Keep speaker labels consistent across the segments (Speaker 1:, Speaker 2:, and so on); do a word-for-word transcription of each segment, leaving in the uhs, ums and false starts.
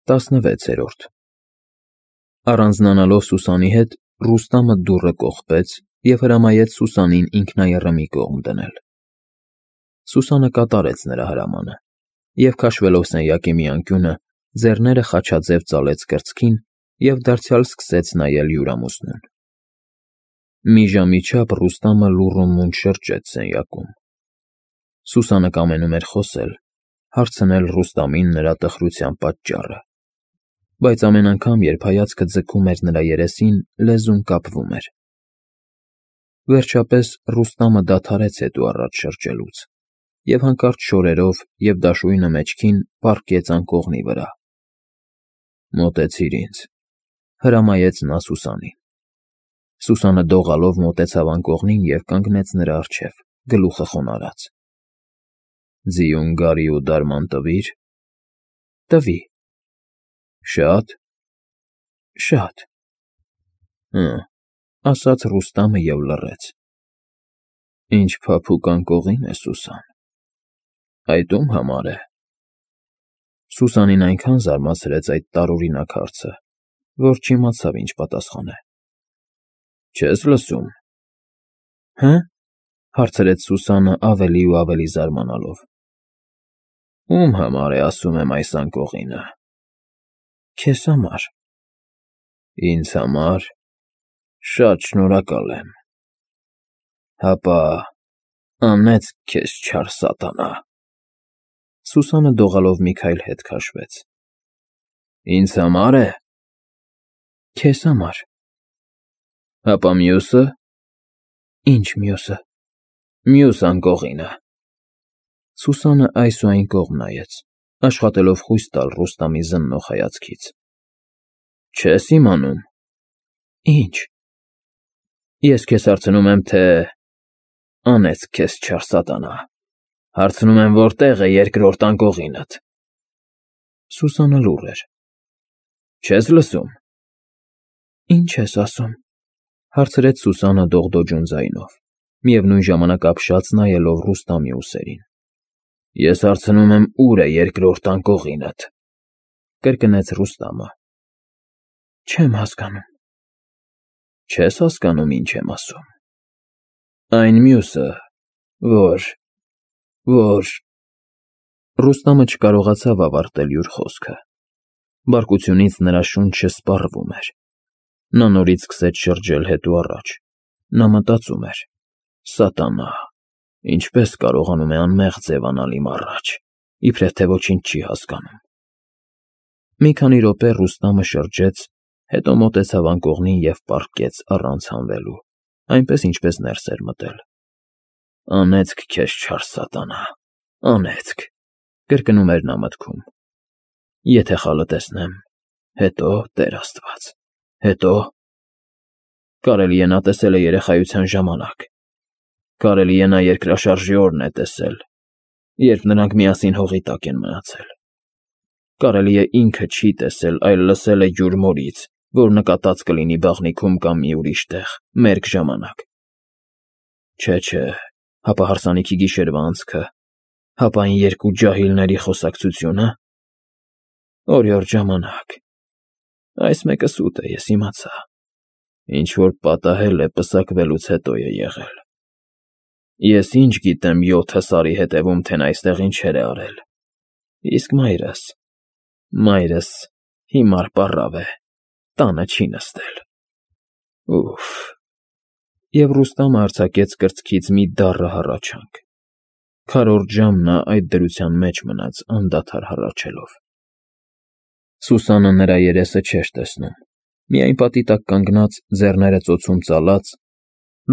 Speaker 1: տասնվեցերորդ Առանձնանալով Սուսանի հետ, Ռուստամը դուռը կողպեց և հրամայեց Սուսանին ինքնաեռը մի կողմ դնել։ Սուսանը կատարեց նրա հրամանը և, քաշվելով սենյակի մի անկյունը, ձեռները խաչաձև ծալեց կրծքին և դարձյալ սկսեց նայել հյուրամուսնուն։ Մի ժամի չափ Ռուստամը լուռ ու մունջ շրջեց սենյակում։ Սուսանը կամենում էր խոսել, հարցնել Ռուստամին նրա տխրության պատճառը, բայց ամեն անգամ, երբ հայացքը ձգում էր նրա երեսին, լեզուն կապվում էր։ Վերջապես Ռուստամը դադարեց հետուառաջ շրջելուց և հանկարծ շորերով և դաշույնը մեջքին պառկեց անկողնի վրա։ «Մոտեցիր ինձ», հրամայեց նա Սուսանին։ Սուսանը դողալով մոտեցավ անկողնին և կանգնեց նրա առջև, գլուխը խոնարհած։ «Ձիուն գարի ու դարման տվի՞ր»։ «Տվի»։ «Շա՞տ»։ «Շատ»։ «Հը», ասաց Ռուստամը և լռեց։ «Ինչ փափուկ անկողին է, Սուսան, այդ ո՞ւմ համար է»։ Սուսանին այնքան զարմացրեց այդ տարօրինակ հարցը, որ չիմացավ ինչ պատասխանել։ «Չես լսո՞ւմ»։ «Հը՞», հարցրեց Սուսանը ավելի ու ավելի զարմանալով։ «Ո՞ւմ համար է, ասում եմ, այս անկողինը»։ «Քեզ համար»։ «Ինձ համար։ Շատ շնորհակալ եմ։ Հապա անեծք քեզ, չար սատանա»։ Սուսանը դողալով մի քայլ հետ քաշվեց։ «Ինձ համար է»։ «Քեզ համար»։ «Հապա մյուսը»։ «Ի՞նչ մյուսը»։ «Մյուս անկողինը»։ Սուսանը այս ու այն կողմ նայեց, աշխատելով խույս տալ Ռուստամի զննող հայացքից։ «Չես իմանում»։ «Ի՞նչ»։ «Ես քեզ հարցնում եմ, թե… անեծք քեզ, չար սատանա, հարցնում եմ, որտե՞ղ է երկրորդ անկողինդ»։ Սուսանը լուռ էր։ «Չես լսում»։ «Ի՞նչ ես ասում»։ Հարցրեց Սուսանը դողդոջուն ձայնով, միևնույն ժամանակ ապշած նայելով Ռուստամի ուսերին։ «Ես հարցնում եմ, ու՞ր է երկրորդ անկողինդ»։ Կրկնեց Ռուստամը։ «Չեմ հասկանում»։ «Չես հասկանում, ինչ եմ ասում։ Այն մյուսը, որ… որ…» Ռուստամը չկարողացավ ավարտել յուր խոսքը։ Բարկությունից նրա շունչը սպառվում էր։ Նա նորից սկսեց շրջել հետուառաջ։ Նա մտածում էր. «Սատանա, ինչպե՞ս կարողանում է անմեղ ձևանալ իմ առաջ, իբրև թե ոչինչ չի հասկանում»։ Մի քանի րոպե Ռուստամը շրջեց, հետո մոտեցավ անկողնին և պառկեց առանց հանվելու, այնպես, ինչպես ներս էր մտել։ «Անեծք քեզ, չար սատանա, անեծք», կրկնում էր նա մտքում։ «Եթե խալը տեսնեմ, հետո, Տեր Աստված, հետո… Կարելի է նա տեսել է երեխայության ժամանակ, կարելի է նա երկրաշարժի օրն է տեսել, երբ նրանք միասին հողի տակ են մնացել, կարելի է ինքը չի տեսել, այլ լսել է յուր մորից, որ նկատած կլինի բաղնիքում կամ մի ուրիշ տեղ, մերկ ժամանակ… Չէ, չէ, հապա հարսանիքի գիշերվա անցքը, հապա այն երկու ջահիլների խոսակցությո՞ւնը… Օրիորդ ժամանակ… Այս մեկը սուտ է, ես իմացա, ինչ֊որ պատահել է, պսակվելուց հետո է եղել… Ես ինչ գիտեմ յոթը սարի հետևում, թե նա այստեղ ինչեր է արել… Իսկ մայրս… մայրս հիմար պառավ է, տանը չի նստել… Ուֆ… Եվ Ռուստամը արձակեց կրծքից մի դառը հառաչանք։ Քառորդ ժամ նա այդ դրության մեջ մնաց անդադար հառաչելով։ Սուսանը նրա երեսը չէր տեսնում, միայն պատի տակ կանգնած, ձեռները ծոցում ծալած,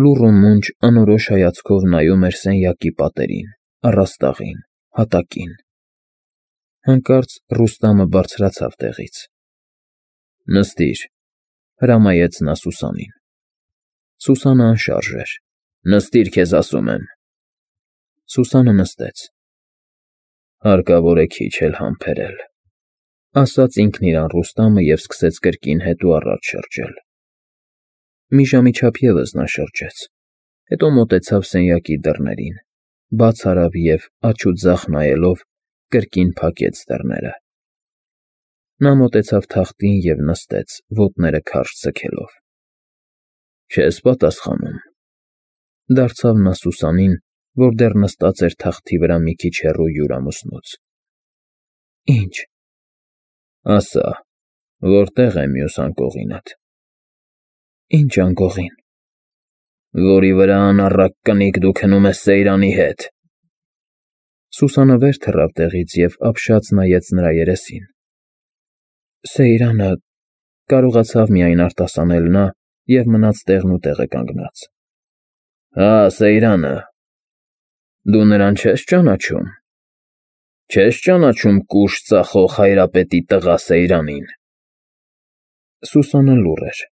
Speaker 1: լուռ ու մունջ անորոշ հայացքով նայում էր սենյակի պատերին, առաստաղին, հատակին։ Հանկարծ Ռուստամը բարձրացավ տեղից։ «Նստիր», հրամայեց նա Սուսանին։ Սուսանը անշարժ էր։ «Նստիր, քեզ ասում եմ»։ Սուսանը նստեց։ «Հարկավոր է քիչ էլ համբերել», ասաց ինքն իրան Ռուստամը և սկսեց կրկին հետուառաջ շրջել։ Մի ժամի չափ ևս նա շրջեց, հետո մոտեցավ սենյակի դռներին, բաց արավ և, աջ ու ձախ նայելով, կրկին փակեց դռները։ Նա մոտեցավ թախտին և նստեց, ոտները քարշ ձգելով։ Չես պատասխանում, դարձավ նա Սուսանին, որ դեռ նստած էր թախտի վրա մի քիչ հեռու յուր ամուսնուց։ Ինչ։ Ասա, որտե՞ղ է մյուս անկողինդ։ Ինչ անկողին։ Որի վրա անառակ կնիկ դու քնում ես Սեյրանի հետ։ Սուսանը վեր թռավ տեղից և ապշած նայեց նրա երեսին։ Սեյրանը, կարողացավ միայն արտասանել նա և մնաց տեղնուտեղը կանգնած։ Հա, Սեյրանը։ Դու նրան չես ճանաչում։ Չես ճանաչում կուշ ծախող հայրապետի տղա Սեյրանին։ Սուսանը լուռ էր։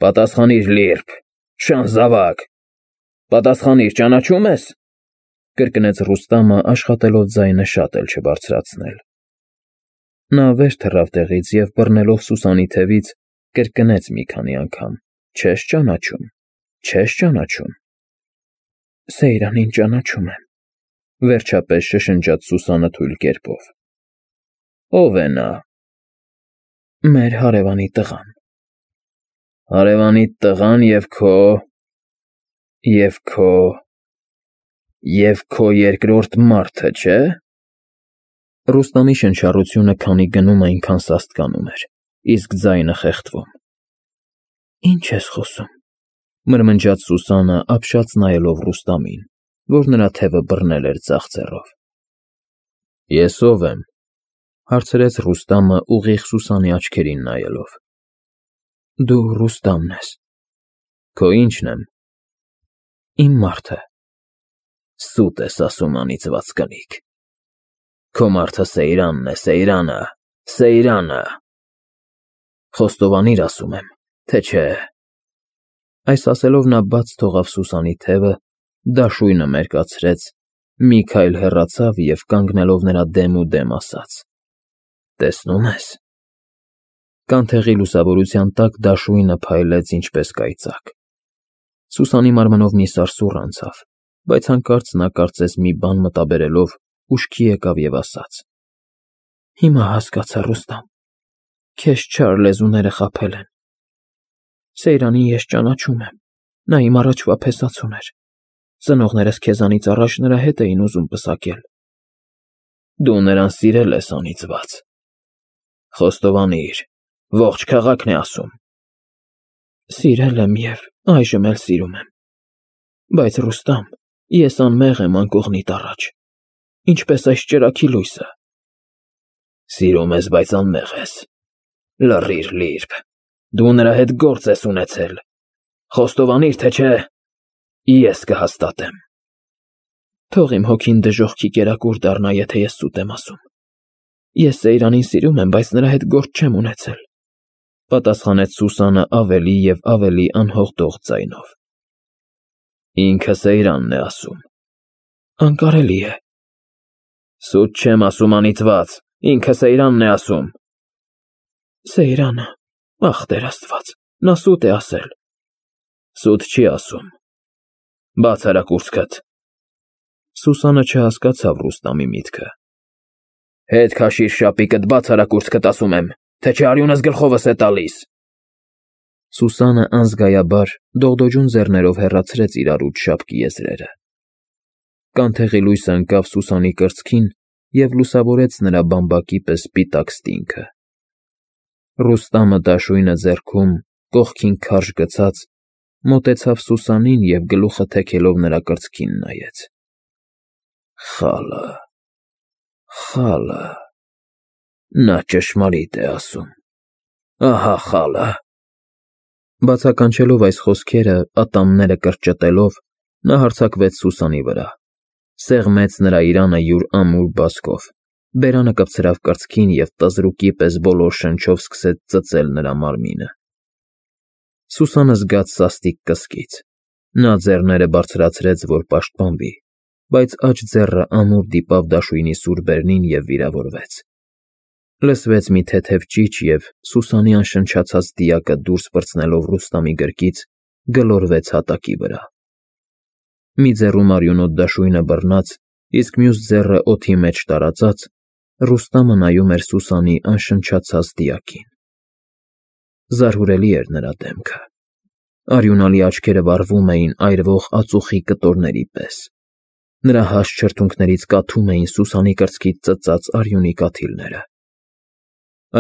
Speaker 1: Պատասխանիր, լիրբ, շան զավակ։ Պատասխանիր, ճանաչում ես։ Կրկնեց Ռուստամը, աշխատելով ձայնը շատ էլ չբարձրացնել։ Նա վեր թռավ տեղից և բռնելով Սուսանի թևից, կրկնեց մի քանի անգամ. Չես ճանաչում, չես ճանաչում։ Սեյրանին ճանաչում եմ, վերջապես շշնջաց Սուսանը թույլ կերպով։ Ո՞վ է նա։ Մեր հարևանի տղան։ Հարևանիդ տղան և քո… և քո… և քո երկրորդ մարդը, չէ՞։ Ռուստամի շնչառությունը քանի գնում այնքան սաստկանում էր, իսկ ձայնը խեղդվում։ Ինչ ես խոսում, մրմնջաց Սուսանը, ապշած նայելով Ռուստամին, որ նրա թևը բռնել էր ձախ ձեռով։ Ես ո՞վ եմ, հարցրեց Ռուստամը ուղիղ Սուսանի աչքերին նայելով։ Դու Ռուստամն ես։ Քո ի՞նչն եմ։ Իմ մարդը։ Սուտ ես ասում, անիծված կնիկ։ Քո մարդը Սեյրանն է, Սեյրանը, Սեյրանը։ Խոստովանիր, ասում եմ, թե չէ։ Այս ասելով նա բաց թողավ Սուսանի թևը, դաշույնը մերկացրեց, մի քայլ հեռացավ և կանգնելով նրա դեմ ու դեմ ասաց. Տեսնո՞ւմ ես։ Կանթեղի լուսավորության տակ դաշույնը փայլեց ինչպես կայծակ։ Սուսանի մարմնով մի սարսուռ անցավ, բայց հանկարծ նա կարծես մի բան մտաբերելով ուշքի եկավ և ասաց. Հիմա հասկացա, Ռուստամ, քեզ չար լեզուները խաբել են։ Սեյրանին ես ճանաչում եմ, նա իմ առաջվա փեսացուն էր։ Ծնողներս քեզանից առաջ նրա հետ էին ուզում պսակել։ Դու նրան սիրել ես, անիծված։ Խոստովանիր, ողջ քաղաքն է ասում։ Սիրել եմ և այժմ էլ սիրում եմ։ Բայց, Ռուստամ, ես անմեղ եմ անկողնիդ առաջ, ինչպես այս ճրագի լույսը։ Սիրում ես, բայց անմեղ ես։ Լռիր, լիրբ, դու նրա հետ գործ ես ունեցել։ Խոստովանիր, թե չէ, ես կհաստատեմ։ Թող իմ հոգին դժոխքի կերակուր դառնա, եթե ես սուտ եմ ասում։ Ես Սեյրանին սիրում եմ, բայց նրա հետ գործ չեմ ունեցել, պատասխանեց Սուսանը ավելի և ավելի անհողդող ձայնով։ Ինքը Սեյրանն է ասում։ Անկարելի է։ Սուտ չեմ ասում, անիծված, ինքը Սեյրանն է ասում։ Սեյրանը, ախ Տեր Աստված, նա սուտ է ասել։ Սուտ չի ասում։ Բաց արա կուրծքդ։ Սուսանը չհասկացավ Ռուստամի միտքը։ Հետ քաշիր շապիկդ, բաց արա կուրծքդ, ասում եմ, թե չէ արյունս գլխովս է տալիս։ Սուսանը անզգայաբար դողդոջուն ձեռներով հեռացրեց իրարուց շապկի եզրերը։ Կանթեղի լույսը ընկավ Սուսանի կրծքին և լուսավորեց նրա բամբակի պես սպիտակ ստինքը։ Ռուստամը դաշույնը ձեռքում, կողքին քարշ գցած, մոտեցավ Սուսանին և գլուխը թեքելով նրա կրծքին նայեց։ Խալը, խալը, նա ճշմարիտ է ասում։ Ահա խալը։ Բացականչելով այս խոսքերը, ատամները կրճտելով, նա հարձակվեց Սուսանի վրա, սեղմեց նրա իրանը յուր ամուր բազկով, բերանը կպցրավ կրծքին և տզրուկի պես բոլոր շնչով սկսեց ծծել նրա մարմինը։ Սուսանը զգաց սաստիկ կսկիծ։ Նա ձեռները բարձրացրեց, որ պաշտպանվի, բայց աջ ձեռը ամուր դիպավ դաշույնի սուր բերնին և վիրավորվեց։ Լսվեց մի թեթև ճիչ և Սուսանի անշնչացած դիակը դուրս պրծնելով Ռուստամի գրկից գլորվեց հատակի վրա։ Մի ձեռում արյունոտ դաշույնը բռնած, իսկ մյուս ձեռը օդի մեջ տարածած, Ռուստամը նայում էր Սուսանի անշնչացած դիակին։ Զարհուրելի էր նրա դեմքը։ Արյունալի աչքերը վառվում էին այրվող ածուխի կտորների պես։ Նրա հաստ շրթունքներից կաթում էին Սուսանի կրծքից ծծած արյունի կաթիլները։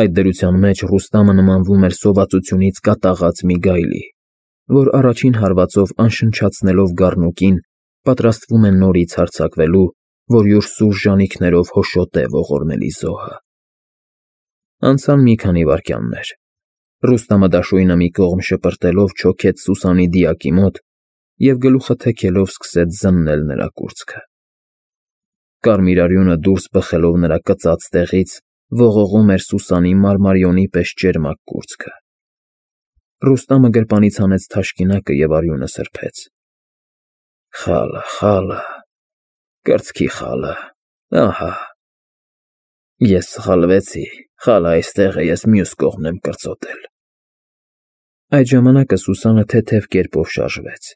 Speaker 1: Այդ դրության մեջ Ռուստամը նմանվում էր սովածությունից կատաղած մի գայլի, որ առաջին հարվածով անշնչացնելով գառնուկին, պատրաստվում է նորից հարձակվելու, որ յուր սուր ժանիքներով հոշոտե ողորմելի զոհը։ Անցան մի քանի վայրկյաններ։ Ռուստամը դաշույնը մի կողմ շպրտելով չոքեց Սուսանի դիակի մոտ և գլուխը թեքելով սկսեց զննել նրա կուրծքը։ Կարմիր արյունը դուրս բխելով նրա կծած տեղից ողողում էր Սուսանի մարմարիոնի պես ճերմակ կուրծքը։ Ռուստամը գրպանից հանեց թաշկինակը և արյունը սրբեց։ Խալը, խալը, կրծքի խալը, ահա։ Ես սխալվեցի, խալը այստեղ է, ես մյուս կողմն եմ կրծոտել։ Այդ ժամանակ Սուսանը թեթև կերպով շարժվեց։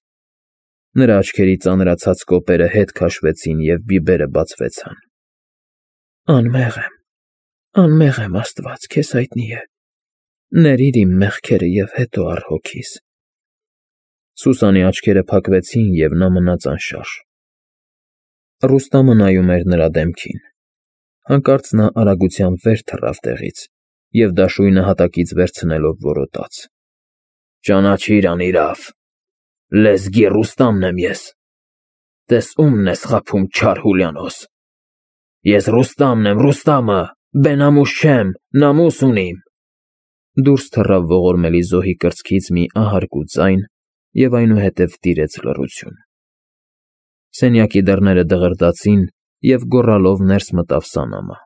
Speaker 1: Նրա աչքերի ծանրացած կոպերը հետ քաշվեցին և բիբերը բացվեցան։ Անմեղ եմ, անմեղ եմ, Աստված, քեզ հայտնի է։ Ներիր իմ մեղքերը և հետո առ հոգիս։ Սուսանի աչքերը փակվեցին, և նա մնաց անշարժ։ Ռուստամը նայում էր նրա դեմքին։ Հանկարծ նա արագությամբ վեր թռավ տեղից և դաշույնը հատակից վերցնելով որոտաց. Ճանաչիր անիրավ, լեզգի Ռուստամն եմ ես, տես ումն ես խաբում, չար Հուլիանոս, ես Ռուստամն եմ, Ռուստամը, բենամուս չեմ, նամուս ունիմ։ Դուրս թռավ ողորմելի զոհի կրծքից մի ահարգու ձայն և այնուհետև տիրեց լռություն։ Սենյակի դռները դղրդացին, և գոռալով ներս մտավ Սանամը։